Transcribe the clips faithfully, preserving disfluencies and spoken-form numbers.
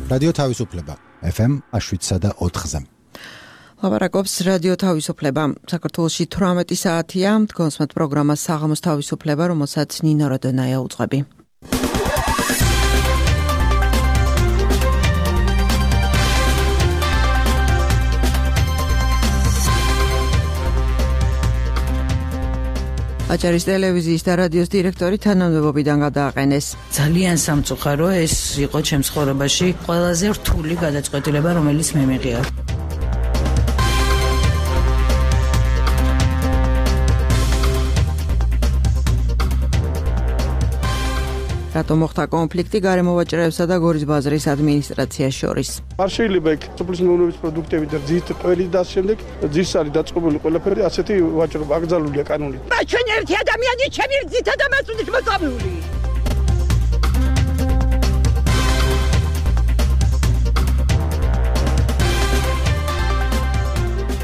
რადიო თავისუფლება ეფ ემ შვიდსა და ოთხზე. ლაპარაკობს რადიო თავისუფლება. საქართველოში თვრამეტი საათია, გონსმათ პროგრამა საღამოს თავისუფლება, რომელსაც ნინო როდონაია უძღვები. აჭარის ტელევიზიის და რადიოს დირექტორი თანამდებობიდან გადააყენეს. ძალიან სამწუხარო ეს იყო ჩემს ცხოვრებაში ყველაზე რთული გადაწყვეტილება, რომელიც მე მიღია. რატომ მოხდა კონფლიქტი გარემოვაჭრეებსა და გორის ბაზრის ადმინისტრაციას შორის? არ შეიძლება იქ სოფლის მეურნეობის პროდუქტები და ძის ყველი და შემდეგ ძის არის დაწყობილი ყველაფერი ასეთი ვაჭრობა აკრძალულია კანონით. და ჩვენ ერთი ადამიანი ჩემი ძითა და მასუდის მოწამული.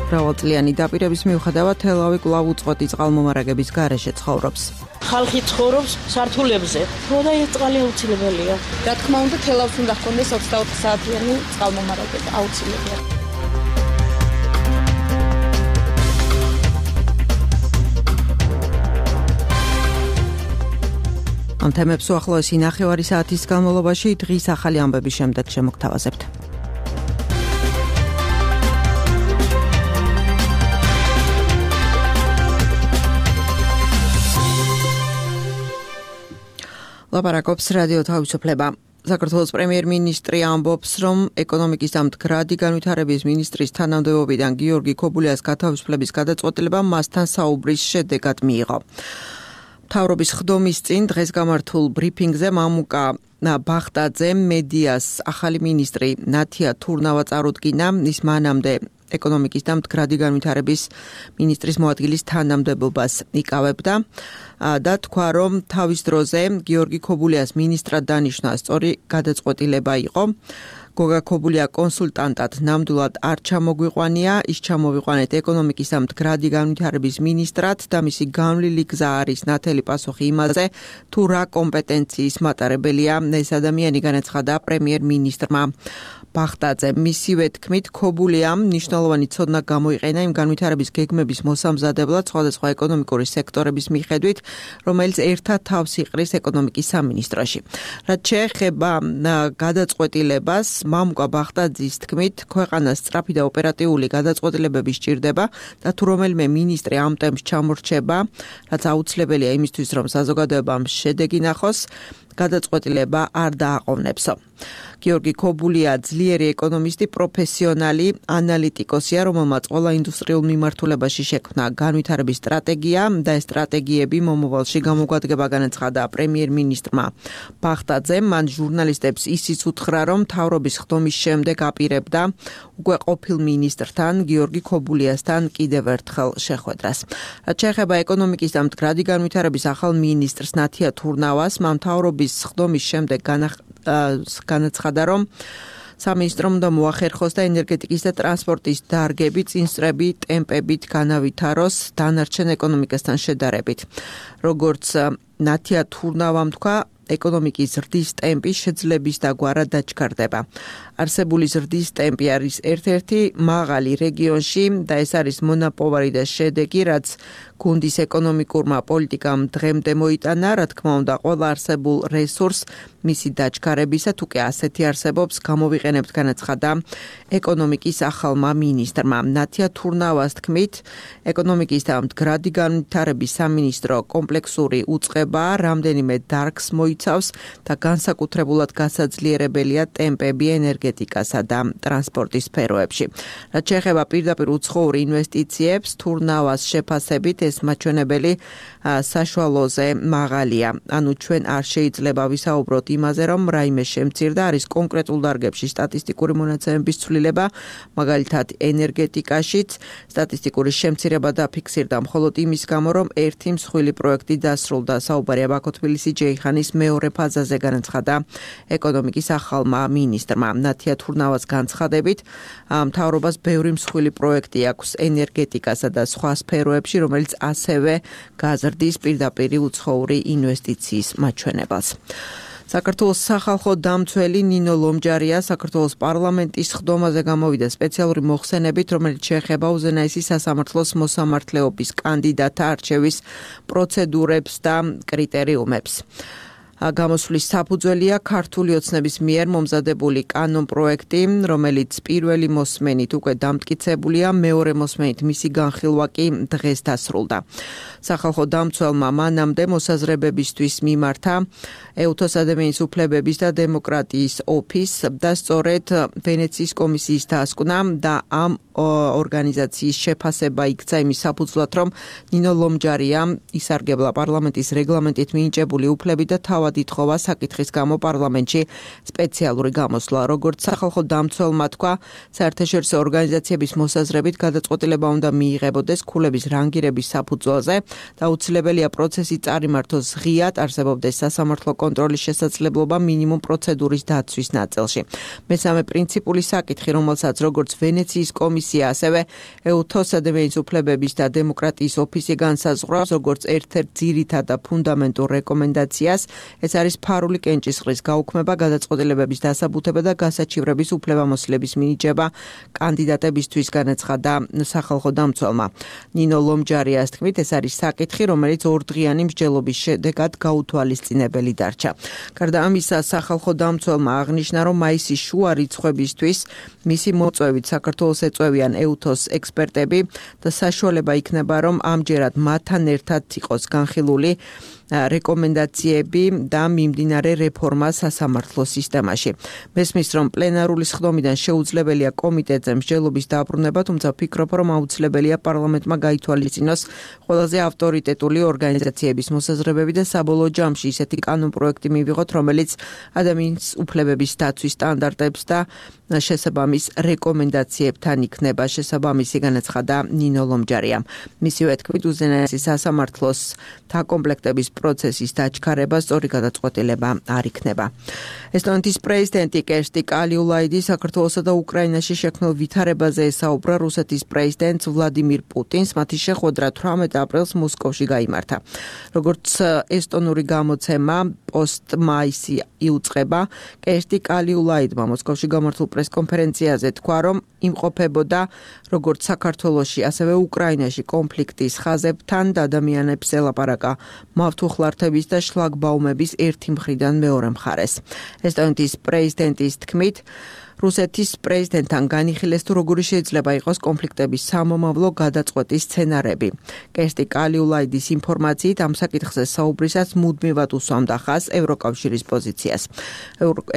მრავალწლიანი დაპირების მიუხედავად თელავი კვლავ უწყვეტი წყალმომარაგების გარეშე ცხოვრობს. ხალხი ცხოვრობს სართულებზე. როდა ეს წყალი აუცილებელია. რა თქმა უნდა, თელავს უნდა ჰქონდეს ოცდაოთხ საათიანი წყალმომარაგება აუცილებელია. ამ თემებს უახლოესი ნახევარი საათის განმავლობაში დღის ახალი ამბების შემდეგ შემოგთავაზებთ. ლაპარაკობს რადიო თავისუფლება. საქართველოს პრემიერ-მინისტრი ამბობს, რომ ეკონომიკის და მდგრადი განვითარების მინისტრის თანამდებობიდან გიორგი ქობულიას გათავისუფლების გადაწყვეტილება მასთან საუბრის შედეგად მიიღო. მთავრობის ხდომის წინ დღეს გამართულ ბრიფინგზე მამუკა ბახტაძე მედიას ახალი მინისტრი ნათია თურნავა წარუდგინა, ის მანამდე ეკონომიკის და მდგრადი განვითარების მინისტრის მოადგილის თანამდებობას იკავებდა და თქვა, რომ თავის დროზე გიორგი ქობულიას მინისტრად დანიშნა სწორი გადაწყვეტილება იყო. გოგა ქობულია კონსულტანტად ნამდვილად არ ჩამოგვიყვანია, ის ჩამოვიყვანეთ ეკონომიკის და მდგრადი განვითარების მინისტრად და მისი განვლილი გზა არის ნათელი პასუხი იმაზე, თუ რა კომპეტენციის მატარებელია ეს ადამიანი, განაცხადა პრემიერ-მინისტრმა ბახტაძე. მისივე თქმით, ქობულიამ მნიშვნელოვანი ცოდნა გამოიყენა იმ განვითარების გეგმების მოსამზადებლად სხვადასხვა ეკონომიკური სექტორების მიხედვით, რომელიც ერთად თავს იყრის ეკონომიკის სამინისტროში. რაც შეეხება გადაწყვეტილებას, მამუკა ბახტაძის თქმით, ქვეყანას სწრაფი და ოპერატიული გადაწყვეტილებები სჭირდება და თუ რომელიმე მინისტრი ამ ტემპს ჩამორჩება, რაც აუცილებელია იმისთვის, რომ საზოგადოებამ შედეგი ნახოს, გადაწყვეტილება არ დააყოვნებსო. გიორგი ქობულია ძლიერი ეკონომისტი, პროფესიონალი, ანალიტიკოსია, რომელმაც ყველა ინდუსტრიულ მიმართულებაში შექმნა განვითარების სტრატეგია და ეს სტრატეგიები მომავალში გამოგვადგება, განაცხადა პრემიერ-მინისტრმა ბახტაძემ. მან ჟურნალისტებს ისიც უთხრა, რომ მთავრობის ხდომის შემდეგ აპირებდა უკვე ყოფილ მინისტრთან გიორგი ქობულიასთან კიდევ ერთხელ შეხვედრას. რაც შეეხება ეკონომიკის და მდგრადი განვითარების ახალ მინისტრს ნათია თურნავას, მან მთავრობის ხდომის შემდეგ განაცხადა, რომ სამინისტრომ უნდა მოახერხოს და ენერგეტიკის და ტრანსპორტის დარგები წინსწრები ტემპებით განავითაროს დანარჩენ ეკონომიკასთან შედარებით. როგორც ნათია თურნავამ თქვა, ეკონომიკის ზრდის ტემპი შეძლების დაგვარად დაჩქარდება. არსებული ზრდის ტემპი არის ერთ-ერთი მაღალი რეგიონში და ეს არის მონაპოვარი და შედეგი, რაც გუნდის ეკონომიკურმა პოლიტიკამ დღემდე მოიტანა, რა თქმა უნდა, ყველა არსებულ რესურს მისი დაჩქარებისა, თუ კი ასეთი არსებობს, გამოვიყენებთ, განაცხადა ეკონომიკის ახალმა მინისტრმა. ნათია თურნავას თქმით, ეკონომიკის და მდგრადი განვითარების სამინისტრო კომპლექსური უწყება რამდენიმე დარგს მოიცავს და განსაკუთრებულად გასაძლიერებელია ტემპები ენერგეტიკასა და ტრანსპორტის სფეროებში. რაც შეეხება პირდაპირ უცხოურ ინვესტიციებს, თურნავას შეფასებით ეს მაჩვენებელი საშუალოზე მაღალია. ანუ ჩვენ არ შეიძლება ვისაუბროთ იმაზე, რომ რაიმე შემცირდა, არის კონკრეტულ დარგებში სტატისტიკური მონაცემების ცვლილება, მაგალითად ენერგეტიკაშიც სტატისტიკური შემცირება დაფიქსირდა მხოლოდ იმის გამო, რომ ერთი მსხვილი პროექტი დასრულდა. საუბარია ბაქო-თბილისი-ჯეიხანის მეორე ფაზაზე, განაცხადა ეკონომიკის ახალმა მინისტრმა. ნათია თურნავას განცხადებით, მთავრობას ბევრი მსხვილი პროექტი აქვს ენერგეტიკასა და სხვა სფეროებში, რომელიც ასევე გაზრდის პირდაპირ უცხოური ინვესტიციის მაჩვენებელს. საქართველოს სახალხო დამცველი ნინო ლომჯარია საქართველოს პარლამენტის ხდომაზე გამოვიდა სპეციალური მოხსენებით, რომელიც შეეხება უზენაესი სასამართლოს მოსამართლეობის კანდიდატთა არჩევის პროცედურებს და კრიტერიუმებს. გამოსვლის საფუძველია ქართული ოცნების მიერ მომზადებული კანონპროექტი, რომელიც პირველი მოსმენით უკვე დამტკიცებულია, მეორე მოსმენით მისი განხილვა კი დღეს დასრულდა. სახალხო დამცველმა მანამდე მოსაზრებებისთვის მიმართა ეუთოს ადამიანის უფლებების და დემოკრატიის ოფისს და სწორედ ვენეციის კომისიის დასკვნა და ამ ორგანიზაციის შეფასება იქცა იმის საფუძვლად, რომ ნინო ლომჯარია ისარგებლა პარლამენტის რეგლამენტით მინიჭებული უფლებით და თავად ითხოვა საკითხის გამო პარლამენტში სპეციალური გამოსვლა. როგორც სახალხო დამცველმა თქვა, საერთაშორისო ორგანიზაციების მოსაზრებით გადაწყვეტილება უნდა მიიღებოდეს ქულების რანგირების საფუძველზე და აუცილებელია პროცესი წარიმართოს ღიად, არსებობდეს სასამართლო კონტროლის შესაძლებლობა მინიმუმ პროცედურის დაცვის ნაწილში. მესამე პრინციპული საკითხი, რომელსაც როგორც ვენეციის კომისია, ასევე ეუთოს ადამიანის უფლებების და დემოკრატიის ოფისი განსაზღვრავს, როგორც ერთ-ერთ ძირითად და ფუნდამენტურ რეკომენდაციას, ეს არის ფარული კენჭისყრის გაუქმება, გადაწყვეტილებების დასაბუთება და გასაჩივრების უფლებამოსილების მინიჭება კანდიდატებისთვის, განაცხადა სახალხო დამცველმა. ნინო ლომჯარიას თქმით, ეს არის საკითხი, რომელიც ორდღიანი მსჯელობის შედეგად გაუთვალისწინებელი დარჩა. გარდა ამისა, სახალხო დამცველმა აღნიშნა, რომ მაისის შუა რიცხვებისთვის მისი მოწვევით საქართველოს ეწევიან ეუთოს ექსპერტები და საშუალება იქნება, რომ ამჯერად მათთან ერთად იყოს განხილული რეკომენდაციები და მიმდინარე რეფორმა სასამართლო სისტემაში. მესმის, რომ პლენარული სხდომიდან შეუძლებელია კომიტეტზე მსჯელობის დაბრუნება, თუმცა ვფიქრობ, რომ აუცილებელია პარლამენტმა გაითვალისწინოს ყველაზე ავტორიტეტული ორგანიზაციების მოსაზრებები და საბოლოო ჯამში ისეთი კანონპროექტი მივიღოთ, რომელიც ადამიანის უფლებების დაცვის სტანდარტებს და შესაბამის რეკომენდაციებთან იქნება შესაბამისი, განაცხადა ნინო ლომჯარიამ. მისივე თქმით, უზენაესი სასამართლოს დაკომპლექტების პროცესის დაჩქარება სწორი გადაწყვეტილება არ იქნება. ესტონეთის პრეზიდენტი კერსტი კალიულაიდი საქართველოსა და უკრაინაში შექმნილ ვითარებაზე ესაუბრა რუსეთის პრეზიდენტ ვლადიმირ პუტინს, მათი შეხვედრა თვრამეტ აპრილს მოსკოვში გაიმართა. როგორც ესტონური გამოცემა პოსტ-მაისი იუწყება, კერსტი კალიულაიდმა მოსკოვში გამართულ პრესკონფერენციაზე თქვა, რომ იმყოფებოდა როგორც საქართველოში, ასევე უკრაინაში კონფლიქტის ხაზებთან და ადამიანებს ელაპარაკა მავთუხლართების და შლაგბაუმების ერთი მხრიდან მეორე მხარეს. ესტონეთის პრეზიდენტის თქმით, რუსეთის პრეზიდენტთან განიხილეს, თუ როგორი შეიძლება იყოს კონფლიქტების სამომავლო გადაწყვეტის სცენარები. კერსტი კალიულაიდის ინფორმაციით ამ საკითხზე საუბრისას მუდმივად უსვამდა ხაზს ევროკავშირის პოზიციას.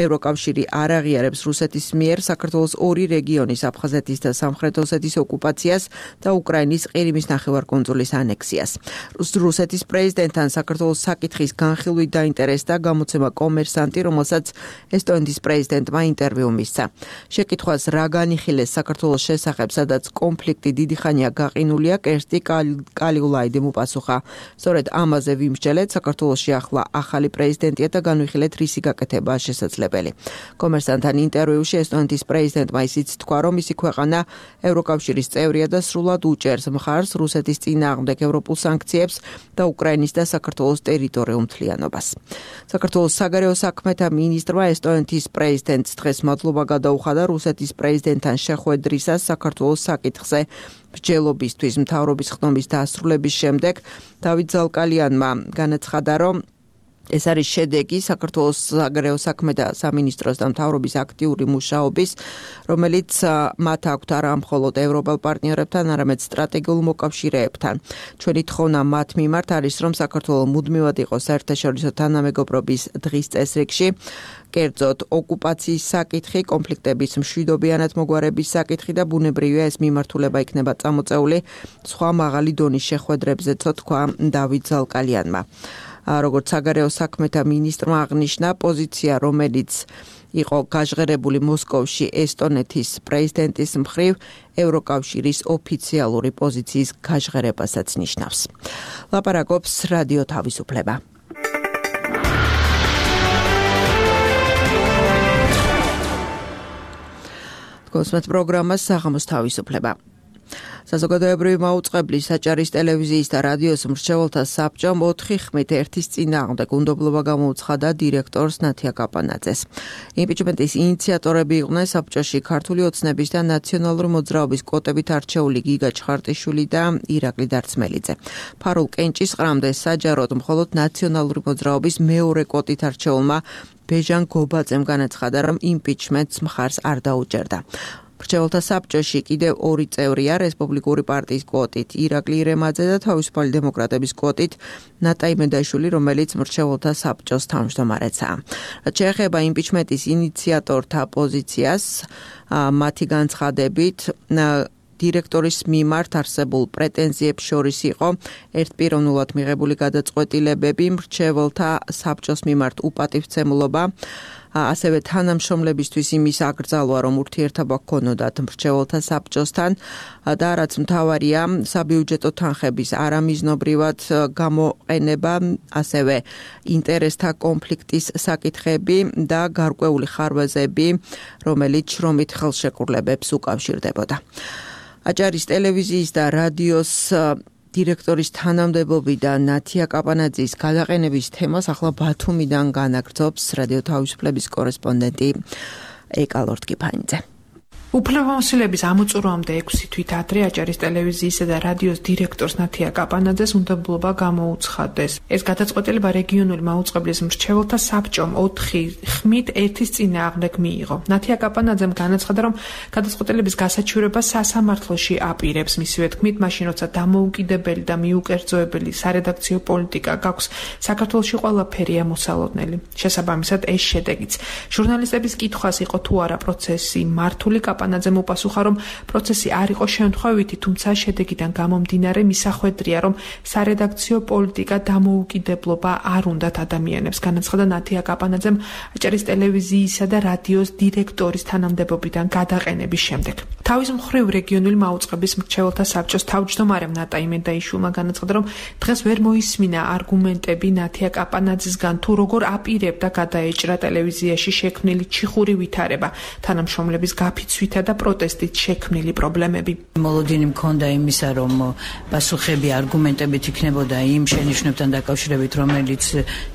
ევროკავშირი არ აღიარებს რუსეთის მიერ საქართველოს ორი რეგიონის, აფხაზეთის და სამხრეთ ოსეთის ოკუპაციას და უკრაინის ყირიმის ნახევარკუნძულის ანექსიას. რუსეთის პრეზიდენტთან საქართველოს საკითხის განხილვით დაინტერესდა გამოცემა კომერსანტი, რომელსაც ესტონეთის პრეზიდენტმა ინტერვიუ მისცა. შეკითხვას რა განიხილეს საქართველოს შესახებ, სადაც კონფლიქტი დიდი ხანია გაყინულია, კერსტი კალიულაიდიმ უპასუხა. სწორედ ამაზე ვიმსჯელეთ, საქართველოში ახლა ახალი პრეზიდენტია და განვიხილეთ, რისი გაკეთებაა შესაძლებელი. კომერსანტთან ინტერვიუში ესტონეთის პრეზიდენტმა ისიც თქვა, რომ მისი ქვეყანა ევროკავშირის წევრია და სრულად უჭერს მხარს რუსეთის წინააღმდეგ ევროპულ სანქციებს და უკრაინის და საქართველოს ტერიტორიულ მთლიანობას. საქართველოს საგარეო საქმეთა მინისტრმა ესტონეთის პრეზიდენტს დღეს მადლობა გადაუხადა რუსეთის პრეზიდენტთან შეხვედრისას საქართველოს საკითხზე მსჯელობისთვის მთავრობის ხდომის დასრულების შემდეგ. დავით ზალკალიანმა განაცხადა, რომ ეს არის შედეგი საქართველოს საგარეო საქმეთა სამინისტროს და მთავრობის აქტიური მუშაობის, რომელიც მათ აქვთ არა მხოლოდ ევროპელ პარტნიორებთან, არამედ სტრატეგიულ მოკავშირეებთან. ჩვენი თხოვნა მათ მიმართ არის, რომ საქართველო მუდმივად იყოს საერთაშორისო თანამეგობრობის დღის წესრიგში, კერძოდ ოკუპაციის საკითხი, კონფლიქტების მშვიდობიანად მოგვარების საკითხი და ბუნებრივია ეს მიმართულება იქნება წამოწეული სხვა მაღალი დონის შეხვედრებზეც, თქვა დავით ზალკალიანმა. როგორც საგარეო საქმეთა მინისტრმა აღნიშნა, პოზიცია, რომელიც იყო გაჟღერებული მოსკოვში ესტონეთის პრეზიდენტის მხრივ, ევროკავშირის ოფიციალური პოზიციის გაჟღერებასაც ნიშნავს. ლაპარაკობს რადიო თავისუფლება. გოსმეთ პროგრამას საღამოს თავისუფლება. საზოგადოებრივი მაუწყებლის საჭარის ტელევიზიის და რადიოს მრჩეველთა საბჭომ ოთხი ხმით ერთის წინააღმდეგ უნდობლობა გამოუცხადა დირექტორს ნათია კაპანაძეს. იმპიჩმენტის ინიციატორები იყვნენ საბჭოში ქართული ოცნების და ნაციონალური მოძრაობის კვოტებით არჩეული გიგა ჩხარტიშვილი და ირაკლი დარწმელიძე. ფარულ კენჭისყრამდე საჯაროდ მხოლოდ ნაციონალური მოძრაობის მეორე კვოტით არჩეულმა ბეჟან გობაძემ განაცხადა, რომ იმპიჩმენტს მხარს არ დაუჭერდა. მრჩეველთა საბჭოში კიდევ ორი წევრია რესპუბლიკური პარტიის კვოტით ირაკლი ირემაძე და თავისუფალი დემოკრატების კვოტით ნატა იმედაშვილი, რომელიც მრჩეველთა საბჭოს თავმჯდომარეცაა. რაც შეეხება იმპიჩმენტის ინიციატორთა პოზიციას, მათი განცხადებით დირექტორის მიმართ არსებულ პრეტენზიებს შორის იყო ერთპიროვნულად მიღებული გადაწყვეტილებები, მრჩეველთა საბჭოს მიმართ უპატივცემულობა, ასევე თანამშრომლებისთვის იმის აკრძალვა, რომ ურთიერთობა ჰქონოდათ მრჩეველთა საბჭოსთან და რაც მთავარია, საბიუჯეტო თანხების არამიზნობრივად გამოყენება, ასევე ინტერესთა კონფლიქტის საკითხები და გარკვეული ხარვეზები, რომელიც შრომით ხელშეკრულებებს უკავშირდებოდა. აჭარის ტელევიზიის და რადიოს დირექტორის თანამდებობიდან ნათია კაპანაძის გადაყენების თემას ახლა ბათუმიდან განაგრძობს რადიო თავისუფლების კორესპონდენტი ეკალორდ კიფანიძე. უფლებამოსილების ამოწურვამდე ექვსი თვით ადრე აჭარის ტელევიზიისა და რადიოს დირექტორს ნათია კაპანაძეს უნდობლობა გამოუცხადეს. ეს გადაწყვეტილება რეგიონული მაუწყებლის მრჩეველთა საბჭომ ოთხი ხმით ერთის წინააღმდეგ მიიღო. ნათია კაპანაძემ განაცხადა, რომ გადაწყვეტილების გასაჩივრება სასამართლოში აპირებს. მისივე თქმით, მაშინ როცა დამოუკიდებელი და მიუკერძოებელი სარედაქციო პოლიტიკა გაქვს, საქართველოში ყველაფერი ამოსალოდნელი. შესაბამისად, ეს შედეგიც. ჟურნალისტების კითხვას იყო თუ არა პროცესი მართული, კაპანაძემ უპასუხა, რომ პროცესი არ იყო შემთხვევითი, თუმცა შედეგიდან გამომდინარე მისახვედრია, რომ სარედაქციო პოლიტიკა დამოუკიდებლობა არ უნდათ ადამიანებს. განაცხადა ნათია კაპანაძემ აჭარის ტელევიზიისა და რადიოს დირექტორის თანამდებობიდან გადაყენების შემდეგ. თავის მხრივ რეგიონული მაუწყებლის მრჩეველთა საბჭოს თავმჯდომარემ ნატა იმედაიშვილმა განაცხადა, რომ დღეს ვერ მოისმინა არგუმენტები ნათია კაპანაძისგან, თუ როგორ აპირებდა გადაეჭრა ტელევიზიაში შექმნილი ჩიხური ვითარება, თანამშრომლების გაფიცვით და პროტესტით შექმნილი პრობლემები. მოლოდინი მქონდა იმისა, რომ პასუხები არგუმენტებით იქნებოდა იმ შენიშვნებთან დაკავშირებით, რომელიც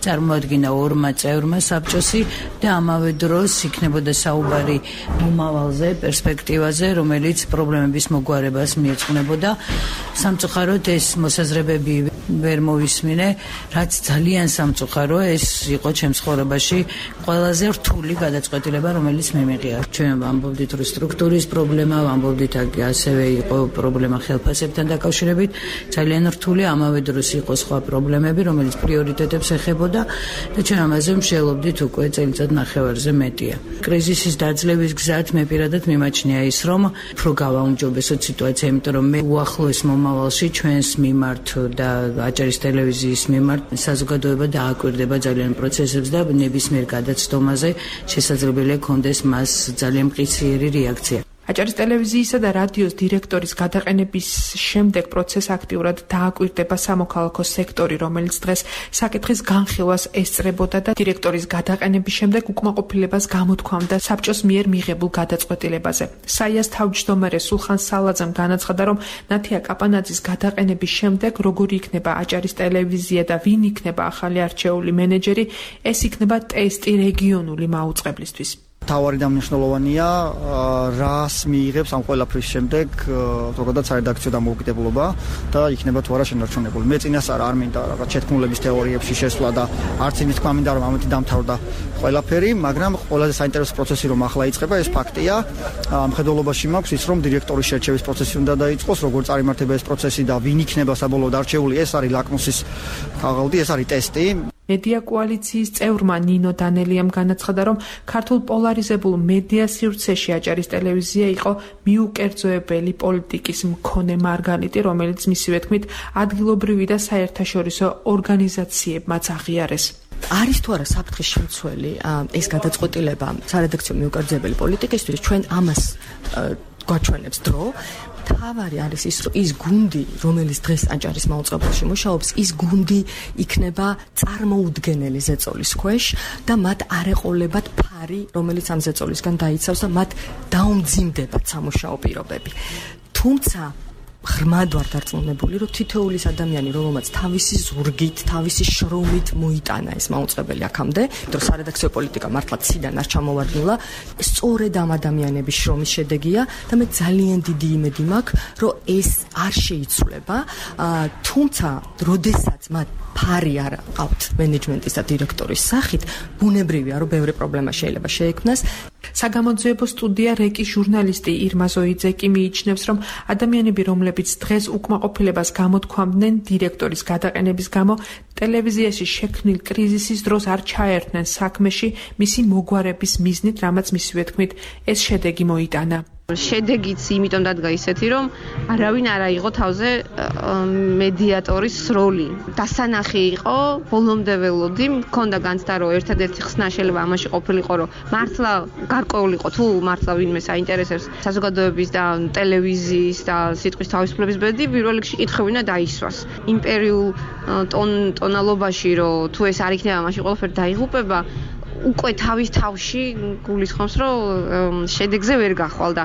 წარმოადგინა ორმა წევრმა საბჭოსი და ამავე დროს იქნებოდა საუბარი მომავალზე, პერსპექტივაზე, რომელიც პრობლემების მოგვარებას მიეძღვნებოდა. სამწუხაროდ ეს მოსაზრებები ვერ მოვისმინე, რაც ძალიან სამწუხარო, ეს იყო ჩემს ცხოვრებაში ყველაზე რთული გადაწყვეტილება, რომელიც მიმიღია. ჩვენ ვამბობდით, რომ სტრუქტურის პრობლემა, ვამბობდით, ასევე იყო პრობლემა ხელფასებთან დაკავშირებით, ძალიან რთული, ამავე დროს იყო სხვა პრობლემები, რომელიც პრიორიტეტებს ეხებოდა და ჩვენ ამაზე მსჯელობდით უკვე წელიწად ნახევარზე მეტია. კრიზისის დაძლევის გზად მე პირადად მიმაჩნია ის, რომ უფრო გავაუმჯობესოთ სიტუაცია, იმიტომ რომ მე უახლოეს მომავალში ჩვენს მიმართ და აჭარის ტელევიზიის მიმართ საზოგადოება დააკვირდება ძალიან პროცესებს და ნებისმიერ გადაცდომაზე შესაძლებელია კონდეს მას ძალიან მყისიერი რეაქცია. აჭარის ტელევიზიისა და რადიოს დირექტორის გადაყენების შემდეგ პროცესს აქტიურად დააკვირდება სამოქალაქო სექტორი, რომელიც დღეს საკითხის განხილვას ესწრებოდა და დირექტორის გადაყენების შემდეგ უკმაყოფილებას გამოთქვამდა საბჭოს მიერ მიღებულ გადაწყვეტილებაზე. საიას თავმჯდომარე სულხან სალაძემ განაცხადა, რომ ნათია კაპანაძის გადაყენების შემდეგ როგორი იქნება აჭარის ტელევიზია და ვინ იქნება ახალი არჩეული მენეჯერი, ეს იქნება ტესტი რეგიონული მაუწყებლისთვის. თავარი და მნიშვნელოვანია რას მიიღებს ამ ყველაფრის შემდეგ ზოგადად სარედაქციო დამოუკიდებლობა და იქნება თუ არა შენარჩუნებული. მე წინასწარ არ მინდა რაღაც შეთქმულების თეორიებში შესვლა და არც იმის თქვა მინდა რომ ამით დამთავრდა ყველაფერი, მაგრამ ყველაზე საინტერესო პროცესი რომ ახლა იწყება, ეს ფაქტია. მხედველობაში მაქვს ის, რომ დირექტორის შერჩევის პროცესი უნდა დაიწყოს, როგორ წარიმართება ეს პროცესი და ვინ იქნება საბოლოოდ არჩეული, ეს არის ლაკმუსის ქაღალდი, ეს არის ტესტი. მედია კოალიციის წევრმა ნინო დანელიამ განაცხადა, რომ ქართულ პოლარიზებულ მედია სივრცეში აჭარის ტელევიზია იყო მიუკერძოებელი პოლიტიკის მქონე მარგალიტი, რომელიც მისივე თქმით ადგილობრივი და საერთაშორისო ორგანიზაციებმაც აღიარეს. არის თუ არა საფრთხის შემცველი ეს გადაწყვეტილება სარედაქციო მიუკერძოებელი პოლიტიკისთვის, ჩვენ ამას გვაჩვენებს დრო. თავარი არის ის, ის გუნდი, რომელიც დღეს აჭარის მაუწყებელში მუშაობს, ის გუნდი იქნება წარმოუდგენელი ზეწოლის ქვეშ და მათ არ ეყოლებათ ფარი, რომელიც ამ ზეწოლისგან დაიცავს და მათ დაუმძიმდებათ სამუშაო პირობები. თუმცა ღრმად ვარ დარწმუნებული, რომ თითოეულის ადამიანი, რომელმაც თავისი ზურგით, თავისი შრომით მოიტანა ეს მაუწყებელი აქამდე, იმიტომ რომ სარედაქციო პოლიტიკა მართლა ციდან არ ჩამოვარდნილა, სწორედ ამ ადამიანების შრომის შედეგია და მე ძალიან დიდი იმედი მაქვს, რომ ეს არ შეიცვლება, თუმცა, როდესაც მათ ფარი არ აყავთ მენეჯმენტის და დირექტორის სახით, ბუნებრივია, რომ ბევრი პრობლემა შეიძლება შეექმნას. საგამოძიებო სტუდია რეკის ჟურნალისტი ირმა ზოიძე კი მიიჩნევს, რომ ადამიანები, რომლებიც დღეს უკმაყოფილებას გამოთქვამდნენ დირექტორის გადაყენების გამო, ტელევიზიაში შექმნილ კრიზისის დროს არ ჩაერთნენ საქმეში მისი მოგვარების მიზნით, რამაც მისივე თქმით ეს შედეგი მოიტანა. შედეგიც იმიტომ დადგა ისეთი, რომ არავინ არ აიღო თავზე მედიატორის როლი. დასანახი იყო, ბოლომდე ველოდი, მქონდა განცდა, რომ ერთადერთი ხსნა შეიძლება ამაში ყოფილიყო, რომ მართლა გარკვეულიყო თუ მართლა ვინმე საინტერესებს საზოგადოების და ტელევიზიის და სიტყვის თავისუფლების ბედი, პირველ რიგში კითხვი უნდა დაისვას. იმპერიულ ტონალობაში, რომ თუ ეს არ იქნება, მაშინ ყველაფერი დაიღუპება, უკვე თავის თავში გულისხმობს, რომ შედეგზე ვერ გახვალ და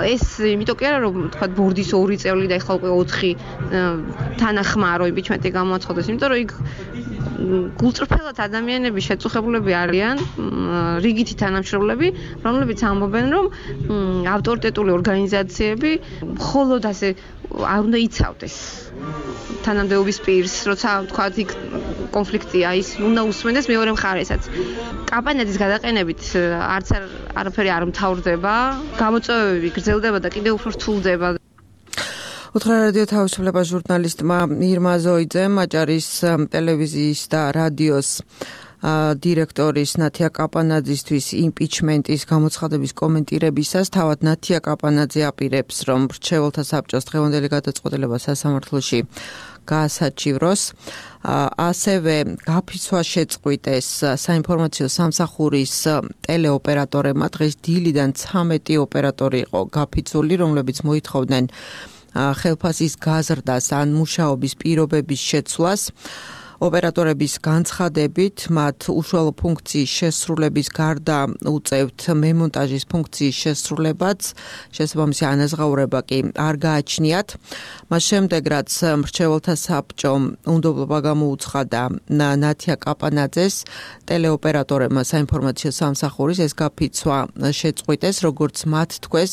ეს იმიტომ კი არა, რომ თქვა ბორდის ორი წევრი და ეხლა უკვე ოთხი თანახმა რომ იმპიჩმენტი გამოაცხადეს, იმიტომ რომ იქ გულწრფელად ადამიანები შეწუხებულები არიან, რიგითი თანამშრომლები, რომლებიც ამბობენ, რომ ავტორიტეტული ორგანიზაციები მხოლოდ ასე არ უნდა იცავდეს თანამდებობის პირს, როცა თქვა იქ კონფლიქტია, ის უნდა უსმენდეს მეორე მხარესაც. კაპანაძის გადაყენებით არც არაფერი არ მთავრდება, გამოწვევები გრძელდება და კიდევ უფრო რთულდება. უთხრა რადიო თავისუფლება ჟურნალისტმა ირმა ზოიძემ აჭარის ტელევიზიის და რადიოს დირექტორის ნათია კაპანაძისთვის იმპიჩმენტის გამოცხადების კომენტირებისას თავად ნათია კაპანაძე აპირებს, რომ მრჩეველთა საბჭოს დღევანდელი გადაწყვეტილება სასამართლოში გაასაჩივროს. ასევე გაფიცვა შეწყვიტეს საინფორმაციო სამსახურის ტელეოპერატორებმა. დღეს დილიდან ცამეტი ოპერატორი იყო გაფიცული, რომლებიც მოითხოვდნენ ხელფასის გაზრდას ან მუშაობის პირობების შეცვლას. ოპერატორების განცხადებით, მათ უშუალო ფუნქციის შესრულების გარდა უწევთ მემონტაჟის ფუნქციის შესრულებაც, შესაბამისი ანაზღაურება კი არ გააჩნიათ. მას შემდეგ, რაც მრჩეველთა საბჭომ უნდობლობა გამოუცხადა ნათია კაპანაძეს, ტელეოპერატორებმა საინფორმაციო სამსახურის ეს გაფიცვა შეწყვიტეს, როგორც მათ თქვეს,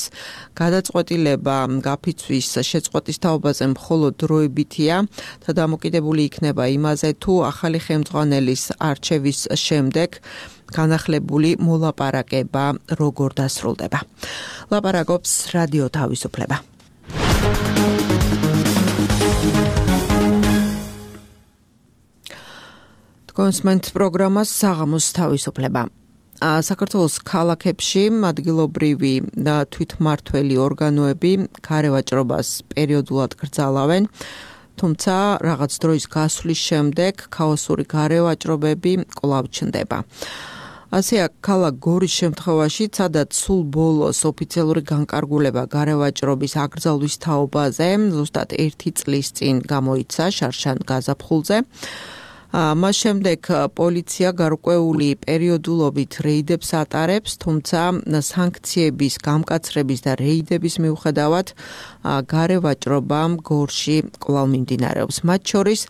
გადაწყვეტილება გაფიცვის შეწყვეტის თაობაზე მხოლოდ დროებითია და დამოკიდებული იქნება იმაზე, თუ ახალი ხელმძღვანელის არჩევის შემდეგ განახლებული მოლაპარაკება როგორ დასრულდება. ლაპარაკობს რადიო თავისუფლება. კონსმენტ პროგრამას საღამოს თავისუფლება. საქართველოს ქალაქებში ადგილობრივი თვითმმართველი ორგანოები გარევაჭრობას პერიოდულად გრძალავენ. თუმცა რაღაც დროის გასვლის შემდეგ ქაოსური გარევაჭრობები კვლავ ჩნდება. ასეა ქალაქ გორის შემთხვევაში, სადაც სულ ბოლოს ოფიციალური განკარგულება გარევაჭრობის აკრძალვის თაობაზე ზუსტად ერთი წლის წინ გამოიცა შარშან გაზაფხულზე. მას შემდეგ პოლიცია გარკვეული პერიოდულობით რეიდებს ატარებს, თუმცა სანქციების გამკაცრების და რეიდების მიუხედავად გარევაჭრობა გორში კვლავ მიმდინარეობს. მათ შორის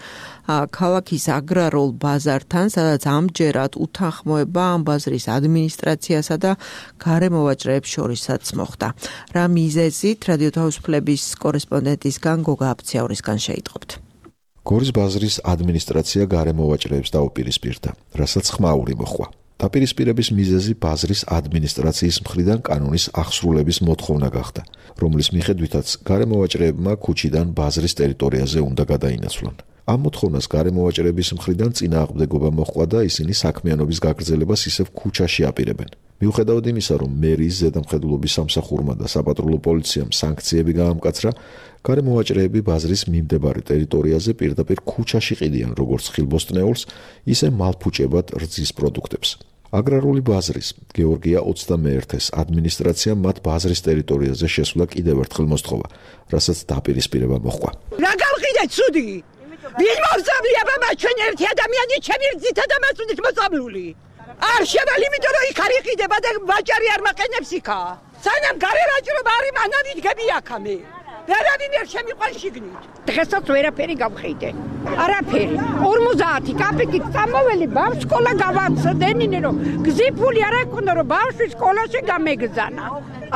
ქალაქის აგრარულ ბაზართან, სადაც ამჯერად უთანხმოება ამ ბაზრის ადმინისტრაციასა და გარემოვაჭრეებს შორისაც მოხდა. რა მიზეზით რადიო თავისუფლების კორესპონდენტისგან გოგა აფციაურისგან შეიტყობთ. გორის ბაზრის ადმინისტრაცია გარემოვაჭრეებს დაუპირისპირდა, რასაც ხმაური მოხდა. დაპირისპირების მიზეზი ბაზრის ადმინისტრაციის მხრიდან კანონის აღსრულების მოთხოვნა გახდა, რომლის მიხედვითაც გარემოვაჭრეებმა ქუჩიდან ბაზრის ტერიტორიაზე უნდა გადაინაცვლონ. ამ მოთხოვნას გარემოვაჭრეების მხრიდან წინააღმდეგობა მოჰყვა და ისინი საქმიანობის გაგრძელებას ისევ ქუჩაში აპირებენ. მიუხედავად იმისა, რომ მერის ზედამხედველობის სამსახურმა და საპატრულო პოლიციამ სანქციები გაამკაცრა, გარემოვაჭრეები ბაზრის მიმდებარე ტერიტორიაზე პირდაპირ ქუჩაში ყიდიან როგორც ხილბოსტნეულს, ისე მალფუჭებად რძის პროდუქტებს. აგრარული ბაზრის გეორგია ოცდამეერთეს ადმინისტრაციამ მათ ბაზრის ტერიტორიაზე შესვლა კიდევ ერთხელ მოსთხოვა, რასაც დაპირისპირება მოჰყვა. რა გავყიდეთ ცუდი? ვინ მოვწამლია მას ჩვენ ერთი ადამიანი ჩემი რძითა და მასუნით მოწამლული? არ შევალ, იმიტომ რომ იქ არ იყიდება და ვაჭარი არ მაყენებს იქა. სანამ გარევაჭრობა არის, მანამ იდგები აქამდე. ვერავინ ვერ შემიყვანს შიგნით. დღესაც ვერაფერი გავხეიდე. არაფერი. ორმოცდაათი კაპიკით წამოველი ბავშვ სკოლა გავაცდენინე რომ გზიფული არ აქვს რომ ბავშვი სკოლაში გამეგზანა.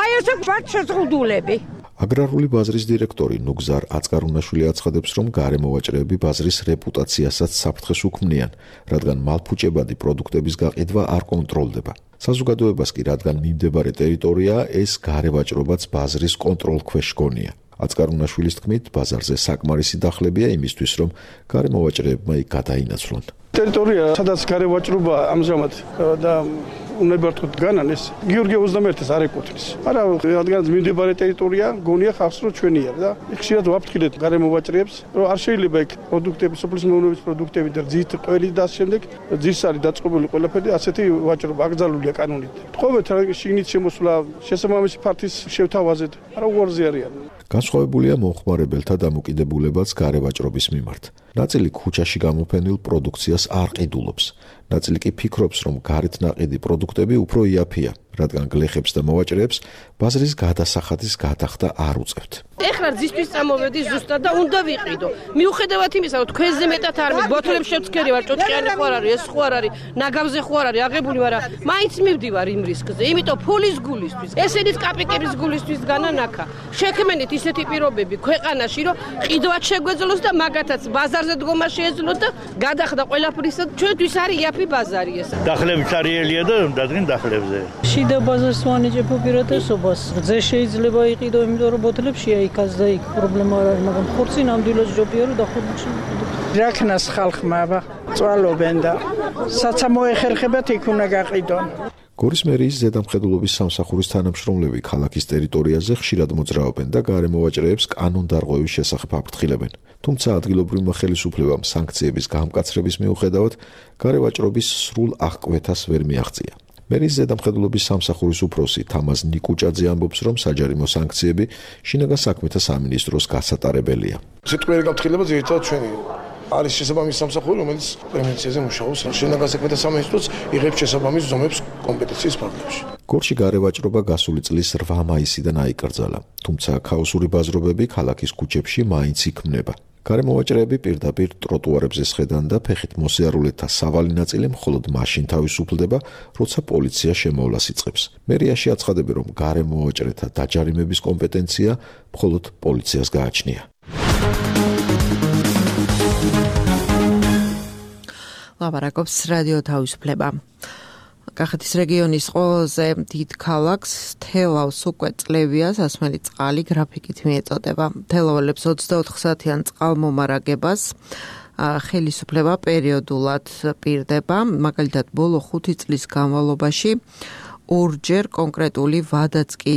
აი ესე ვარ შეზღუდულები. აგრარული ბაზრის დირექტორი ნუგზარ აწკარუნაშვილი აცხადებს, რომ გარემოვაჭრეები ბაზრის რეპუტაციასაც საფრთხეს უქმნიან, რადგან მალფუჭებადი პროდუქტების გაყიდვა არ კონტროლდება. საზოგადოებას კი, რადგან მიმდებარე ტერიტორიაა, ეს გარევაჭრობაც ბაზრის კონტროლ ქვეშ გონია. აწკარუნაშვილის თქმით, ბაზარზე საკმარისი დახლებია იმისთვის, რომ გარემოვაჭრეებმა იქ გადაინაცვლონ. ტერიტორია, სადაც გარევაჭრობა ამჟამად და უნდა ვთქვათ განან ეს გიორგი ოცდამეერთეს არ ეკუთვნის. არა, რადგან მიმდებარე ტერიტორია გონია ხალხს რომ ჩვენია და ხშირად ვაფრთხილეთ გარემოვაჭრეებს, რომ არ შეიძლება იქ პროდუქტები, სოფლის მეურნეობის პროდუქტები და ძით ყველი და შემდეგ ძის არის დაწყობილი ყველაფერი, ასეთი ვაჭრობა აკრძალულია კანონით. თხოვეთ რა შიგნით შემოსვლა შესაბამისი ფართის შევთავაზეთ, არა უარზე არიან. განსხვავებულია მომხმარებელთა დამოკიდებულებაც გარევაჭრობის მიმართ. ნაწილი ქუჩაში გამოფენილ პროდუქციას არ ყიდულობს. ნაწილი კი ფიქრობს, რომ გარეთ ნაყიდი პროდუქტები უფრო იაფია, რადგან გლეხებს და მოვაჭრეებს ბაზრის გადასახადის გადახდა არ უწევთ. ეხლა ძისთვის წამოვედი ზუსტად და უნდა ვიყიდო. მიუხედავად იმისა, რომ თქვენზე მეტად არ მე ბოთლებს შევცქერი ვარ, ჭოჭყიანი ხო არ არის, ეს ხო არ არის, ნაგავზე ხო არ არის, აღებული ვარ, მაინც მივდივარ იმ რისკზე. იმიტომ ფულის გულისთვის, ესენიც კაპიკების გულისთვის განანახა. შექმენით ისეთი პირობები ქვეყანაში, რომ ყიდვაც შეგვეძლოს და მაგათაც ბაზარზე დგომა შეეძლოთ და გადახდა ყველაფრისა. ჩვენთვის არის იაფი ბაზარი ეს. დახლები წარიელია და დადგენ დახლებზე. შიდა ბაზარს ვანიჭებ უპირატესობას. ზე შეიძლება იყიდო, იმიტომ რომ ბოთლებში აიქაც და იქ პრობლემა არ არის, მაგრამ ხორცი ნამდვილად ჯობია რომ დახურში. რაკნას ხალხმა წვალობენ და საცამო ეხერხებათ იქ უნდა გაყიდონ. გორის მერიის ზედამხედველობის სამსახურის თანამშრომლები ქალაქის ტერიტორიაზე ხშირად მოძრაობენ და გარემოვაჭრეებს კანონდარღვევის შესახებ აფრთხილებენ. თუმცა ადგილობრივმა ხელისუფლებამ სანქციების გამკაცრების მიუხედავად გარევაჭრობის სრულ აღკვეთას ვერ მიაღწია. მერიის ზედამხედველობის სამსახურის უფროსი თამაზ ნიკუჭაძე ამბობს, რომ საჯარიმო სანქციები შინაგან საქმეთა სამინისტროს გასატარებელია. სიტყვიერი გაფრთხილება ძირითადად ჩვენი არის შესაბამისი სამსახური, რომელიც პრევენციაზე მუშაობს. შინაგან საქმეთა სამინისტროც იღებს შესაბამის ზომებს კომპეტენციის ფარგლებში. გორში გარევაჭრობა გასული წლის რვა მაისიდან აიკრძალა, თუმცა ქაოსური ბაზრობები ქალაქის ქუჩებში მაინც იქმნება. გარემოვაჭრეები პირდაპირ ტროტუარებზე სხედან და ფეხით მოსიარულეთა სავალი ნაწილი მხოლოდ მაშინ თავისუფლდება, როცა პოლიცია შემოვლას იწყებს. მერიაში აცხადებენ, რომ გარემოვაჭრეთა დაჯარიმების კომპეტენცია მხოლოდ პოლიციას გააჩნია. ლაპარაკობს რადიო თავისუფლება. კახეთის რეგიონის ყველაზე დიდ ქალაქს თელავს უკვე წლებია სასმელი წყალი გრაფიკით მიეწოდება. თელაველებს ოცდაოთხ საათიან წყალმომარაგებას ხელისუფლება პერიოდულად პირდება, მაგალითად ბოლო ხუთი წლის განმავლობაში ორჯერ კონკრეტული ვადაც კი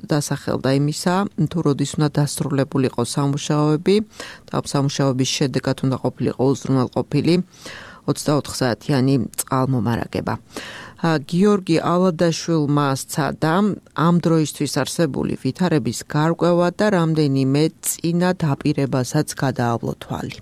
დასახელდა იმისა, თუ როდის უნდა დასრულებულიყო სამუშაოები და სამუშაოების შედეგად უნდა ყოფილიყო უზრუნველყოფილი ოცდაოთხ საათიანი წყალმომარაგება. გიორგი ალადაშვილმა სცადა ამ დროისთვის არსებული ვითარების გარკვევა და რამდენიმე წინა დაპირებასაც გადაავლო თვალი.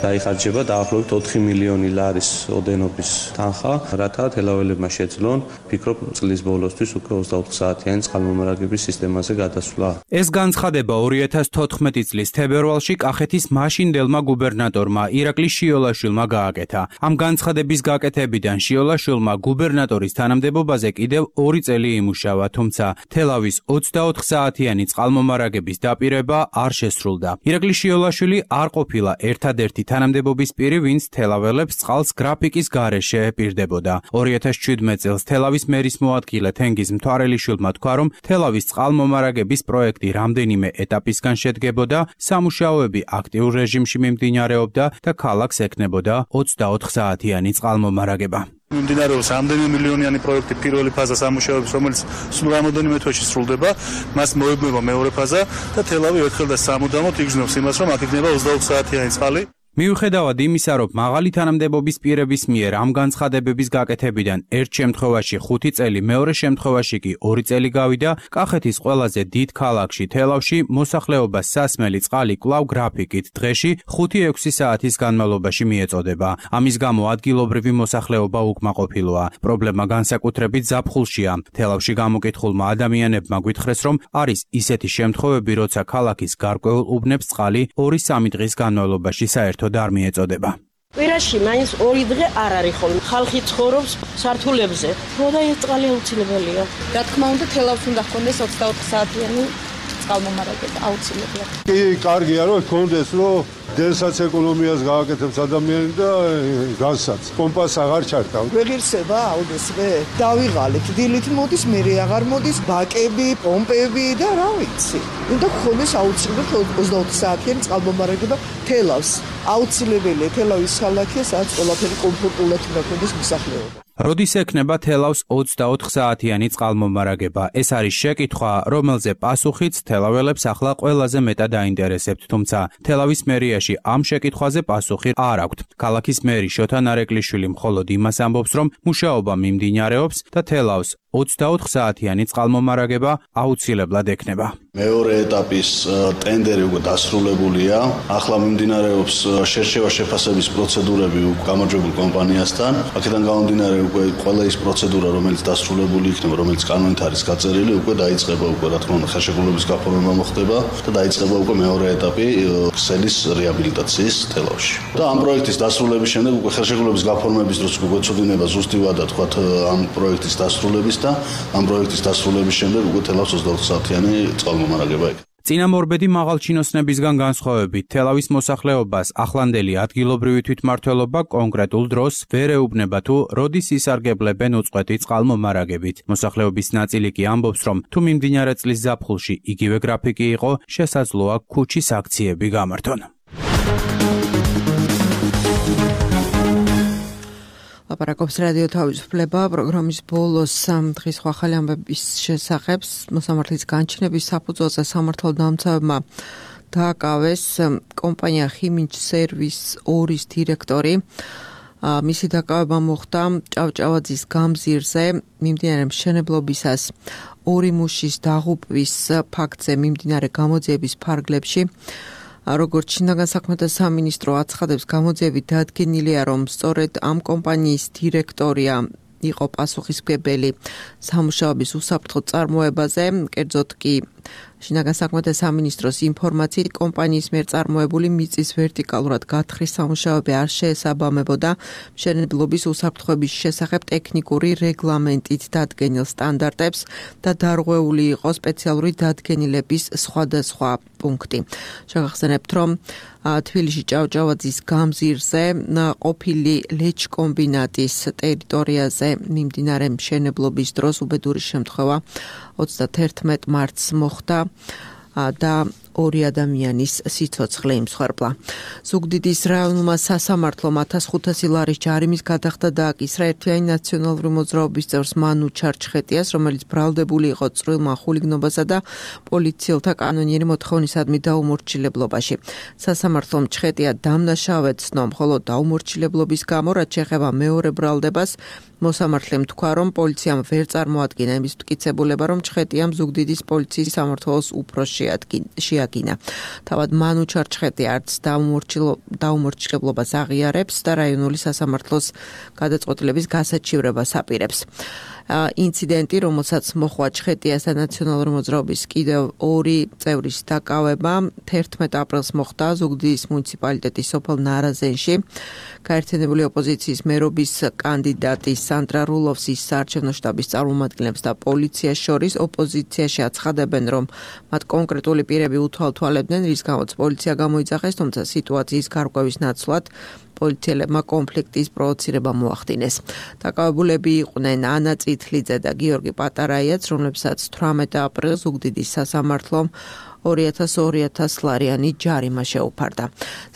დაიხარჯება დაახლოებით ოთხი მილიონი ლარის ოდენობის თანხა, რათა თელაველებმა შეძლონ, ფიქრობ, წლის ბოლოსთვის უკვე ოცდაოთხ საათიანი წყალმომარაგების სისტემაზე გადასვლა. ეს განცხადება ორი ათას თოთხმეტი წლის თებერვალში კახეთის მაშინდელმა გუბერნატორმა ირაკლი შიოლაშვილმა გააკეთა. ამ განცხადების გაკეთებიდან შიოლაშვილმა გუბერნატორის თანამდებობაზე კიდევ ორი წელი იმუშავა, თუმცა თელავის ოცდაოთხ საათიანი წყალმომარაგების დაპირება არ შესრულდა. ირაკლი შიოლაშვილი არ ყოფილა ერთადერთი თანამდებობის პირი, ვინც თელაველებს წყალს გრაფიკის გარეშე პირდებოდა. ორი ათას შვიდმეტ წელს თელავის მერის მოადგილე თენგიზ მთვარელიშვილმა თქვა, რომ თელავის წყალმომარაგების პროექტი რამდენიმე ეტაპისგან შედგებოდა, სამუშაოები აქტიურ რეჟიმში მიმდინარეობდა და ქალაქს ექნებოდა ოცდაოთხ საათიანი წყალმომარაგება. მიმდინარეობს რამდენიმე მილიონიანი პროექტი პირველი ფაზა სამუშაოების, რომელიც სულ რამოდენიმე თვეში სრულდება, მას მოებნება მეორე ფაზა და თელავი ერთხელ და სამუდამოდ იგრძნობს იმას, რომ აქ იქნება ოცდაოთხ საათიანი წყალი. მიუხედავად იმისა, რომ მაღალი თანამდებობის პირების მიერ ამ განცხადებების გაკეთებიდან ერთ შემთხვევაში ხუთი წელი, მეორე შემთხვევაში კი ორი წელი გავიდა, კახეთის ყველაზე დიდ ქალაქში თელავში მოსახლეობას სასმელი წყალი კვლავ გრაფიკით დღეში ხუთი ექვსი საათის განმავლობაში მიეწოდება. ამის გამო ადგილობრივი მოსახლეობა უკმაყოფილოა. პრობლემა განსაკუთრებით ზაფხულშია. თელავში გამოკითხულმა ადამიანებმა გვითხრეს, რომ არის ისეთი შემთხვევები, როცა ქალაქის გარკვეულ უბნებს წყალი ორი-სამი დღის განმავლობაში საერთოდ არ მიეწოდება. კვირაში მაინც ორი დღე არ არის ხოლმე. ხალხი ცხოვრობს სართულებზე. ხოდა ეს წყალი აუცილებელია. რა თქმა უნდა, თელავს უნდა ჰქონდეს ოცდაოთხ საათიანი წყალმომარაგება აუცილებლად. კი, კარგია რომ ჰქონდეს, რომ დენსაც ეკონომიას გააკეთებს ადამიანი და განსაც. კომპას აღარ ჩარდა. ვეღირსება აუდესვე. დავიღალეთ, დილით მოდის, მერე აღარ მოდის, ბაკები, პომპები და რა ვიცი. უნდა ჰქონდეს აუცილებლად ოცდაოთხ საათიანი წყალმომარაგება თელავს. აუცილებელია თელავის ქალაქია, სადაც ყველაფერი კომფორტულად უნდა ქონდეს მოსახლეობა. როდის ექნება თელავს ოცდაოთხ საათიანი წყალმომარაგება? ეს არის შეკითხვა, რომელზე პასუხიც თელაველებს ახლა ყველაზე მეტად აინტერესებთ, თუმცა თელავის მერიაში ამ შეკითხვაზე პასუხი არ აქვთ. ქალაქის მერი შოთა ნარეკვლიშვილი მხოლოდ იმას ამბობს, რომ მუშაობა მიმდინარეობს და თელავს ოცდაოთხ საათიანი წყალმომარაგება აუცილებლად ექნება. მეორე ეტაპის ტენდერი უკვე დასრულებულია. ახლა მიმდინარეობს შერჩევა შეფასების პროცედურები გამარჯვებულ კომპანიასთან. აქედან გამომდინარე უკვე ყველა ის პროცედურა, რომელიც დასრულებული იქნება, რომელიც კანონით არის გაწერილი, უკვე დაიწყება უკვე რა თქმა უნდა ხელშეკრულების გაფორმება მოხდება და დაიწყება უკვე მეორე ეტაპი ქსელის რეაბილიტაციის თელავში. და ამ პროექტის დასრულების შემდეგ უკვე ხელშეკრულების გაფორმების დროს უკვე გვეცოდინება ზუსტი ვადა თქვა ამ პროექტის დასრულების და ამ პროექტის დასრულების შემდეგ უკვე თელავს ოცდაოთხ საათიანი წყალმომარაგება იქნება. წინამორბედი მაღალჩინოსნებისგან განსხვავებით, თელავის მოსახლეობას ახლანდელი ადგილობრივი თვითმმართველობა კონკრეტულ დროს ვერ ეუბნება თუ როდის ისარგებლებენ უწყვეტი წყალმომარაგებით. მოსახლეობის ნაწილი კი ამბობს, რომ თუ მიმდინარე წლის ზაფხულში იგივე გრაფიკი იყო, შესაძლოა ქუჩის აქციები გამართონ. ლაპარაკობს რადიო თავისუფლება პროგრამის ბოლოს დღის ახალი ამბების შესახებ მოსამართლის განჩინების საფუძველზე სამართალდამცავებმა დააკავეს კომპანია ხიმინჯ სერვის ორის დირექტორი. მისი დაკავება მოხდა ჭავჭავაძის გამზირზე მიმდინარე მშენებლობისას ორი მუშის დაღუპვის ფაქტზე მიმდინარე გამოძიების ფარგლებში. როგორც შინაგან საქმეთა სამინისტრო აცხადებს, გამოძიებით დადგენილია, რომ სწორედ ამ კომპანიის დირექტორია იყო პასუხისმგებელი სამუშაოების უსაფრთხო წარმოებაზე, კერძოდ კი შინაგან საქმეთა სამინისტროს ინფორმაციით კომპანიის მიერ წარმოებული მიწის ვერტიკალურად გათხრის სამუშაოები არ შეესაბამებოდა მშენებლობის უსაფრთხოების შესახებ ტექნიკური რეგლამენტით დადგენილ სტანდარტებს და დარღვეული იყო სპეციალური დადგენილების სხვადასხვა პუნქტი. შეგახსენებთ, რომ თბილისში ჭავჭავაძის გამზირზე ყოფილი ლეჩკომბინატის ტერიტორიაზე მიმდინარე მშენებლობის დროს უბედური შემთხვევა ოცდაათერთმეტ მარტს მოხდა და ორი ადამიანის სიცოცხლე იმსხვერპლა. ზუგდიდის რაიონულმა სასამართლომ ათას ხუთასი ლარის ჯარიმის გადახდა დააკისრა ერთიანი ნაციონალური მოძრაობის წევრს მანუ ჩარჩხეტიას, რომელიც ბრალდებული იყო წვრილმა ხულიგნობასა და პოლიციელთა კანონიერი მოთხოვნისადმი დაუმორჩილებლობაში. სასამართლომ ჩხეტია დამნაშავედ ცნო, მხოლოდ დაუმორჩილებლობის გამო, რაც შეეხება მეორე ბრალდებას, მოსამართლემ თქვა, რომ პოლიციამ ვერ წარმოადგინა იმის მტკიცებულება, რომ ჩხეტიამ ზუგდიდის პოლიციის სამმართველოს უფრო შეადგინა. თავად მანუ ჩარჩხეტია არც დაუმორჩილებლობას აღიარებს და რაიონული სასამართლოს გადაწყვეტილების გასაჩივრებას აპირებს. ინციდენტი, რომელსაც მოხვა ჩხეტიას და ნაციონალური მოძრაობის კიდევ ორი წევრის დაკავება, თერთმეტ აპრილს მოხდა ზუგდიდის მუნიციპალიტეტის სოფელ ნარაზენში. გაერთიანებული ოპოზიციის მერობის კანდიდატი სანდრა რულოვსის საარჩევნო შტაბის წარმომადგენლებს და პოლიციას შორის ოპოზიციაში აცხადებენ, რომ მათ კონკრეტული პირები უთვალთვალებდნენ, რის გამოც პოლიცია გამოიძახეს, თუმცა სიტუაციის გარკვევის ნაცვლად პოლიციელებმა კონფლიქტის პროვოცირება მოახდინეს. დაკავებულები იყვნენ ანა წითლიძე და გიორგი პატარაიაც, რომლებსაც თვრამეტ აპრილს ზუგდიდის სასამართლომ ორი ათას ორი ათას ლარიანი ჯარიმა შეუფარდა.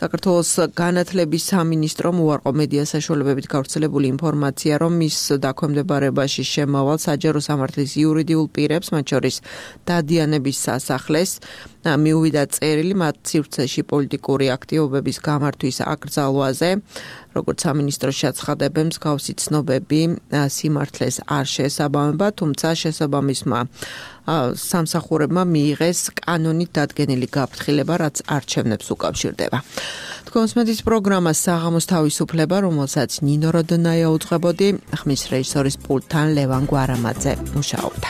საქართველოს განათლების სამინისტრომ უარყო მედია საშუალებებით გავრცელებული ინფორმაცია, რომ მის დაქვემდებარებაში შემავალ საჯარო სამართლის იურიდიულ პირებს, მათ შორის დადიანების სასახლეს, მიუვიდა წერილი მათ სივრცეში პოლიტიკური აქტივობების გამართვის აკრძალვაზე, როგორც სამინისტროს შეცხადებენ, მსგავსი ცნობები სიმართლეს არ შეესაბამება, თუმცა შესაბამისმა სამსახურებმა მიიღეს კანონით დადგენილი გაფრთხილება, რაც არჩევნებს უკავშირდება. თქვენს მედის პროგრამა საღამოს თავისუფლება, რომელსაც ნინო როდონაია უძღვებოდი, ხმის რეჟისორის პულტთან ლევან გვარამაძე მუშაობდა.